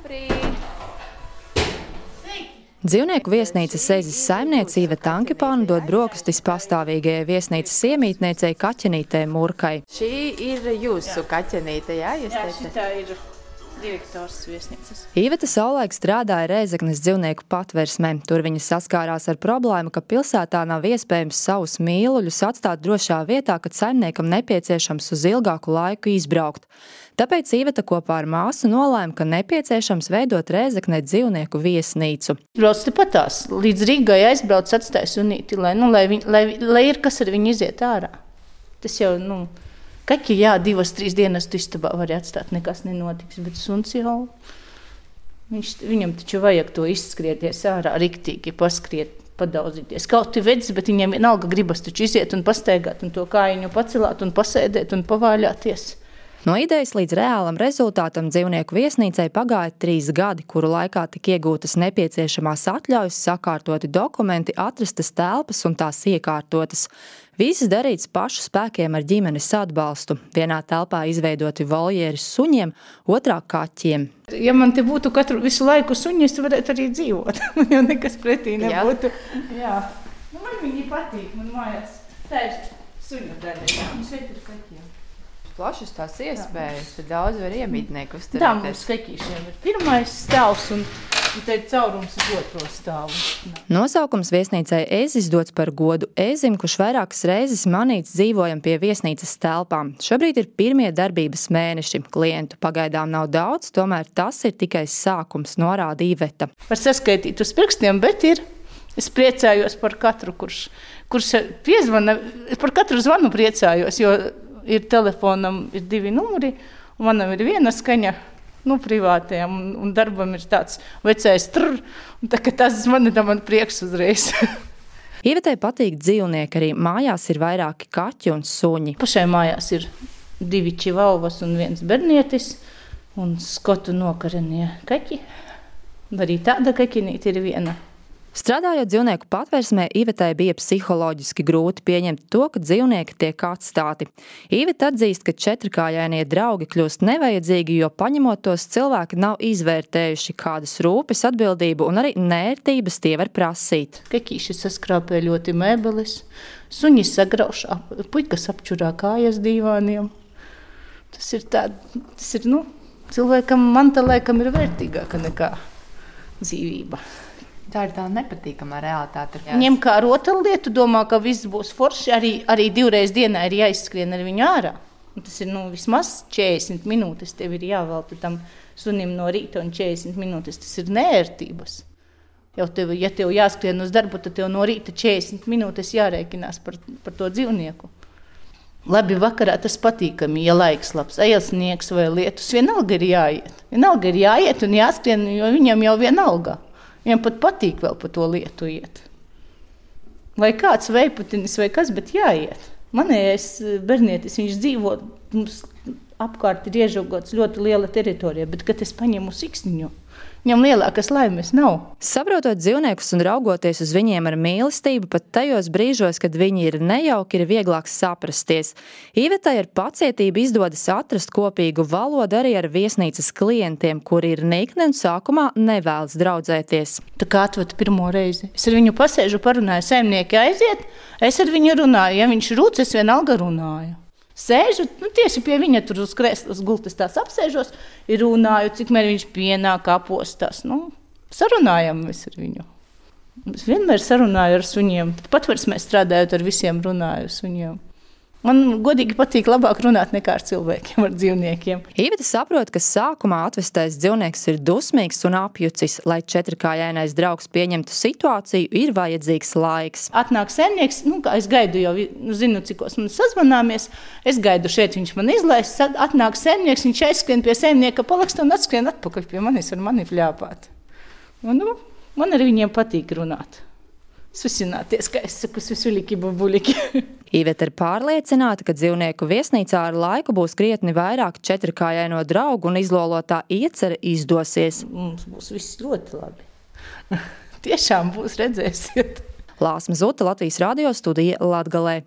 Labrīt! Dzīvnieku viesnīcas Ezis saimniece Iveta Ankipāna dod brokastis pastāvīgajai viesnīcas iemītniecei Kaķenītei Murkai. Šī ir jūsu kaķenīte, jā? Jā, šitā ir direktors viesnīcas. Iveta savulaik strādāja Rēzeknes dzīvnieku patversmē. Tur viņa saskārās ar problēmu, ka pilsētā nav iespējams savus mīluļus atstāt drošā vietā, kad saimniekam nepieciešams uz ilgāku laiku izbraukt. Tāpēc Iveta kopā ar māsu nolēma, ka nepieciešams veidot Rēzeknē dzīvnieku viesnīcu. Brauc tepatās, līdz Rīgai aizbrauc, atstāja sunīti, lai ir kas ar viņu iziet ārā. Tas jau, kaķi, jā, 2-3 dienas tu istabā vari atstāt, nekas nenotiks, bet suns jau, viņam taču vajag to izskrieties ārā, riktīgi paskriet, padauzīties. Kaut vedz, bet viņam vienalga gribas taču iziet un pastaigāt un to kājiņu pacelāt un pasēdēt un pavāļāties. No idejas līdz reālam rezultātam dzīvnieku viesnīcai pagāja 3 gadi, kuru laikā tika iegūtas nepieciešamās atļaujas, sakārtoti dokumenti, atrastas telpas un tās iekārtotas. Viss darīts pašu spēkiem ar ģimenes atbalstu. Vienā telpā izveidoti voljeri suņiem, otrā kaķiem. Ja man te būtu visu laiku suņi, es varētu arī dzīvot. Man jau nekas pretī nebūtu. Jā. Man viņi patīk, man mājās. Tā ir suņu daļa, jā. Un šeit ir kaķiem. Plašas tās iespējas, tad daudz var iemītnieku uzturēties. Tā mums kaķīšiem ir pirmais stāvs un te ir caurums uz otro stāvu. Nosaukums viesnīcai Ezis dots par godu Ezim, kurš vairākas reizes manīts dzīvojam pie viesnīcas telpām. Šobrīd ir pirmie darbības mēneši. Klientu pagaidām nav daudz, tomēr tas ir tikai sākums, norāda Iveta. Var saskaitīt uz pirkstiem, bet ir. Es priecājos par katru, kurš piezvana, par katru zvanu priecājos, jo ir telefonam ir 2 numuri, un manam ir viena skaņa, privātajam, un darbam ir tāds vecais trr, un tā, ka tas man prieks uzreiz. Ivetai patīk dzīvnieki, arī mājās ir vairāki kaķi un suņi. Pašai mājās ir 2 čivauas un 1 bernietis, un skotu nokarenie kaķi. Arī tāda kaķinīte ir viena. Strādājot dzīvnieku patversmē, Ivetai bija psiholoģiski grūti pieņemt to, ka dzīvnieki tiek atstāti. Iveta atzīst, ka 4-kājainie draugi kļūst nevajadzīgi, jo paņemot tos cilvēki nav izvērtējuši, kādas rūpes, atbildību un arī nērtības tie var prasīt. Kaķīši saskrāpē ļoti mēbeles, suņi sagrauš, puikas apčurā kājas dīvāniem. Tas ir cilvēkam manta laikam ir vērtīgāka nekā dzīvība. Tā ir tā nepatīkamā realitāte. Ņem kā rotaļlietu, domā, ka viss būs forši, arī 2 reizes dienā ir jāizskrien ar viņu ārā. Un tas ir vismaz 40 minūtes, tev ir jāvelta tam sunim no rīta un 40 minūtes, tas ir neērtības. Ja tev jāskrien uz darbu, tad tev no rīta 40 minūtes jārēķinās par to dzīvnieku. Labi, vakarā tas patīkami, ja laiks labs, sniegs vai lietus, vienalga ir jāiet. Vienalga ir jāiet un jāskrien, jo viņam jau vienalga. Viņam pat patīk vēl pa to lietu iet. Vai kāds vejputinis vai kas, bet jāiet. Manējais bernietis, viņš dzīvo, mums apkārt ir iežogots ļoti liela teritorija, bet, kad es paņemu siksniņu, viņam lielākas laimes nav. Saprotot dzīvniekus un raugoties uz viņiem ar mīlestību, pat tajos brīžos, kad viņi ir nejauki, ir vieglāk saprasties. Ivetai ar pacietību izdodas atrast kopīgu valodu arī ar viesnīcas klientiem, kuri ir nikni un sākumā nevēlas draudzēties. Tā kā atved pirmo reizi. Es ar viņu pasēžu, parunāju, saimnieki aiziet, es ar viņu runāju. Ja viņš rūc, es vienalga runāju. Sēžu, tieši pie viņa tur uz kreslas gultas tās apsēžos, ir runāju, cik mēr viņš pienāk, apostās. Sarunājam mēs ar viņu. Es vienmēr sarunāju ar suņiem. Patversmē strādājot ar visiem runāju suņiem. Man godīgi patīk labāk runāt nekā ar cilvēkiem, ar dzīvniekiem. Iveta saprot, ka sākumā atvestais dzīvnieks ir dusmīgs un apjucis. Lai 4-kājainais draugs pieņemtu situāciju, ir vajadzīgs laiks. Atnāk saimnieks, kā es gaidu jau, zinu, cikos man sazvanāmies, es gaidu šeit, viņš man izlaiž, atnāk saimnieks, viņš aizskrien pie saimnieka palaksta un atskrien atpakaļ pie manis ar mani fļāpāt. Man ar viņiem patīk runāt. Susināties, kā es saku, susuliki, bubuliki. Iveta ir pārliecināta, ka dzīvnieku viesnīcā ar laiku būs krietni vairāk 4-kājaino draugu un izlolotā iecere izdosies. Mums būs viss ļoti labi. Tiešām būs, redzēsiet. Lāsma Zuta, Latvijas radio studija Latgalē.